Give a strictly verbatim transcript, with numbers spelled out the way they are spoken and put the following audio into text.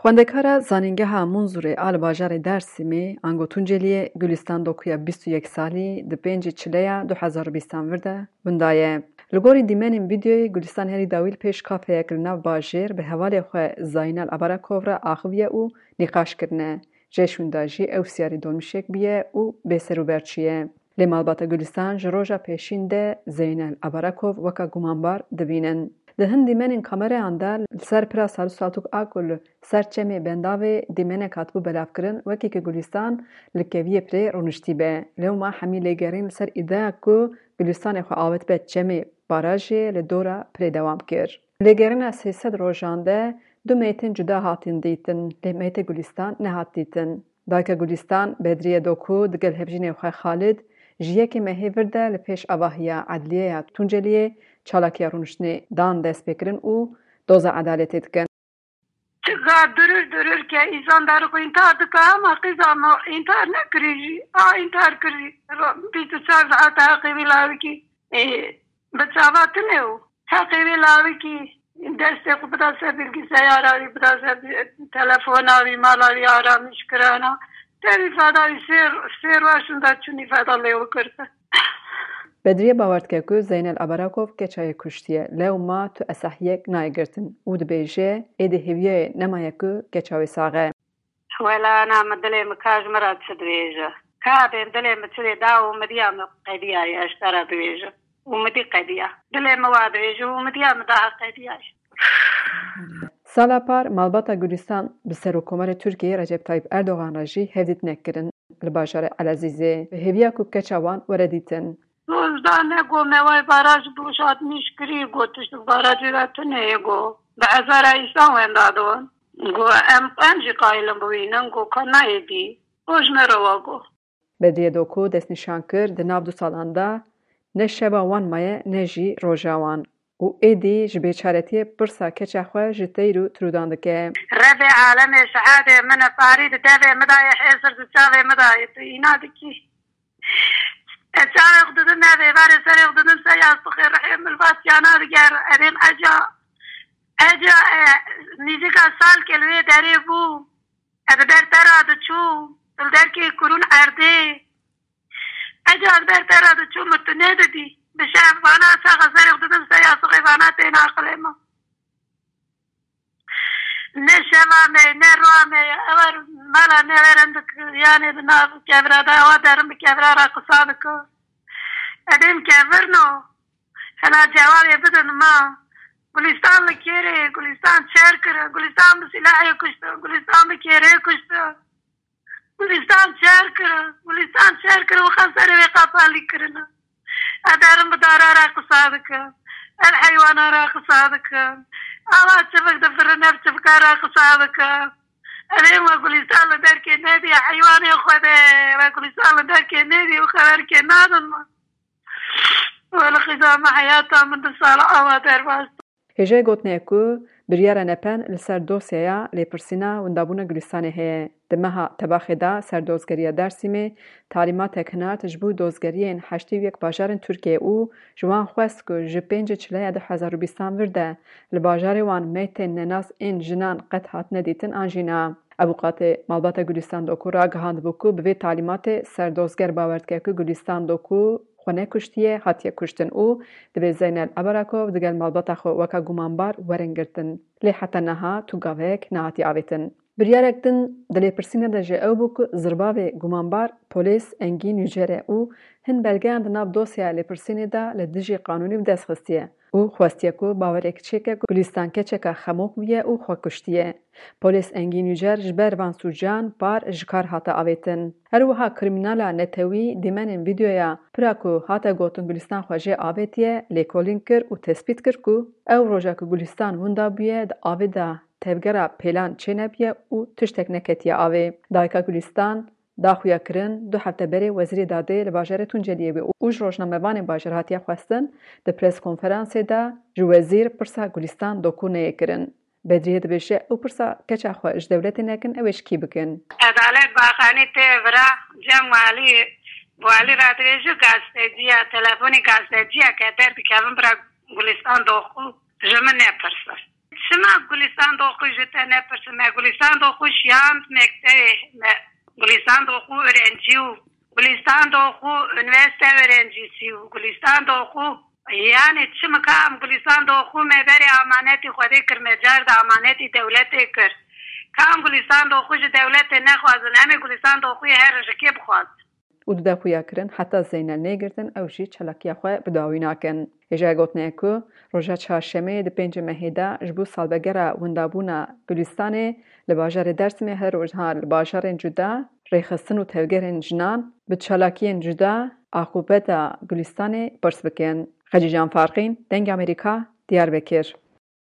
Xwendekara Zanîngeha Munzurê a li bajarê Dêrsimê, ango Tunceliyê, Gulistan Doku ya bîst û yek salî, di pêncê çileya du hezar û bîstan vir de winda ye. Li gorî dîmenên vîdeoyê, Gulistan herî dawî li pêş kafeyek li nav bajêr bi hevalê xwe Zaynel Abarakov re axiviye û nîqaş kirine. Ji êş winda jî ew siyarî dolmîşek bûye û bêserûber çûye. Lê malbata Gulistan ji roja pêşîn de Zeynel Abarakov weka gumanbar dibînin. Di hin dîmenên kamereyan de li ser pira Salû Saltuk a ku li ser çemê Bendavê dîmenek hatibû belavkirin, wekî ku Gulistan li keviyê pirê rûniştî be. Lewma hemî lêgerîn li ser îdeya ku Gulistanê xwe avêtibe çemê barajê li dora pirê dewam kir. Lêgerîna sê sed rojan de du meytên cuda hatin dîtin, lê meytê Gulistan nehat dîtin. Dayika Gulistan, Bedriye Doku, digel hevjînê xwe Xalid, ji yekê mehê vir de li pêş avahiya Edliyeya Tunceliyê çalakiya rûniştinê dan destpêkirin û doza edaletê dikin. Çiqa durur durur ke însan derixwe întar dike, ama qîza me întar nekirî jî. A întar kirî. Bîst û çar saet heqê wî lawikî. Ê, bi çava tune û heqê wê lawikî destê xwe bida ser bilgisayara wî, bida ser telefona wî, mala wî aramîş kirana. Tevî feda wî sê, sê roj hûn de çûnî feda lê û girtin. Bedriye bawer dike ku Zeynel Abarakov keça yê kuştiye, lewma tu esehiyek nayê girtin û dibêje, êdî hêviyayê nemaye ku keça wê sax e. Wela ana min dilê min ka ji min re çi dibêje? Ka bên dilê min çi dê da û midiya min qediyaye, ez te re dibêjim. Û midî qediya. Dilê min wa dibêje û midiya min daha qediyaye. Sala par malbata Gulistan bi Serokkomarê Tirkiyeyê Recep Tayyip Erdogan re jî hevdîtinek kirin li bajarê Elezîzê, bi hêviya ku keça wan were dîtin. Doz da ne go me vay baraj boşaltmış kirî, go tişt barajê de tune ye, go bi hezara însan wenda don. Go em, em jî qayilin bibînin, go ka nayê dî. Go ji me re wa go. Bedriye Doku destnîşan kir, di nav du salan de ne şeva wan maye ne jî roja wan. Û êdî ji bêçaretiyê pirsa keça xwe ji teyr û tirûdan dike. Rebê alemê şehadê min e, parî di devê min de ye, hêsir di çavê min de ye, tu îna dikî. Ez çavê xwe didim, ez êvarê serê xwe didim ser yastixê, rihê min li va tiyana diger. Erê min eca, eca, e, nîzika salkê li wê derê bû. Ez li ber te re diçûm, tu li derkê kurûn erdê. Eca ez li ber te re diçûm, min tu nedidî. Bi şev vana çaxa serê xwe didim ser yastixê, vana têne aqilê min. Ne şeva me, ne roa me, ewer mala me werin di yanê di nav kevira de, ewa derin bi kevira re qisa dike. Edêm kevirno. Hela cewabê bidin ma. Gulistan li kêrê, Gulistan çer kir, Gulistan bi silahê kuştin, Gulistan bi kêrê kuştin. Gulistan çer kir, Gulistan çer kir, wixa serê wê qapalî kirine. Ez derim bi dara re qisa dikim. Ez heywana re qisa dikim. Ava çivik difirin, ev çivika re qisa dikim. Ev ê we Gulistan li derkê nediye, heywanê xwe de, we Gulistan li derkê nediye, wixa derkê nadin me. Wele xizama heyata min du sala awa derbas. Hêjayê gotinê ye ku biryara nepen li ser dosyaya lêpirsîna windabûna Gulistanê heye. Di meha Tebaxê de Serdozgeriya Dersîmê talîmatek hinart ji bo dozgeriyên heştê û yek bajarên Tirkiyeyê û ji wan xwest ku ji pêncê çileya du hezar û bîstan vir de li bajarê wan meytên nenas ên jinan qet hatine dîtin an jî na. Avûkatê malbata Gulistan Doku ragihandibû ku bi vê talîmatê serdozger bawer dike ku Gulistan Doku xwe nekuştiye, hatiye kuştin û divê Zeynel Abarakov digel malbata xwe weka gumanbar werin girtin. Lê heta niha tu gavek nehatiye avêtin. Biryarek din di lêpirsînê de jî ew bû ku zirbavê gumanbar Polês Engîn Yücer e û hin belgeyan di nav dosyaya lêpirsînê de li dijî qanûnî bi dest xistiye û xwestiye ku bawerek çêke ku Gulistan keçeka xemok bûye û xwe kuştiye. Polês Engîn Yücer ji ber van sûcan par ji kar hate avêtin. Her wiha krîmînala netewî dîmenên vîdeoya pira ku hate gotin Gulistan xwe jê avêtiye, lêkolîn kir û tespît kir ku ew roja ku Gulistan winda bûye di avê de tevgera pêlan çênebûye û tiştek neketiye avê. Dayika Gulistan da xuyakirin, du hefte berê Wezîrê Dadê li bajarê Tunceliyê bû û ji rojnamevanên bajar hatiye xwestin, di pres konferansê de ji wezîr pirsa Gulistan Doku neyê kirin. Bedriye dibêje, ew pirsa keça xwe ji dewletê nekin, ew ê ji kî bikin? Edalet Baxanî tê vira cem walî, walî re dibêje, gazeteciya, telefonî gazeteciya ke derdikevin bira Gulistan Doku ji min nepirsin. Çima Gulistan Doxu ji te nepirsin? Me Gulistan Doxu şiyand mektebê me. Gulistan Doxu öğrenci û Gulistan Doxu üniversite öğrencisi û Gulistan Doxu yani çima ka em Gulistan Doxu me berê amanetî Xwedê kir, me car de amanetî dewletê kir. Ka em Gulistan Doxu ji dewletê nexwazin, em ê Gulistan Doxuyê her rojekê bixwazin. Û dide xuya kirin heta Zeynel nêgirtin ew jî çalakiya xwe bi dawî nakin. Hêjayê gotinê ye ku roja çarşemeyê di pêncê mehê de ji bo salvegera windabûna Gulistanê li bajarê Dersimê her rojha li bajarên cuda rêxistin û tevgerên jinan bi çalakiyên cuda aqûbeta Gulistanê pirs bikin. Xecîcan Farqîn, Dengê Amerîka, Diyarbekir.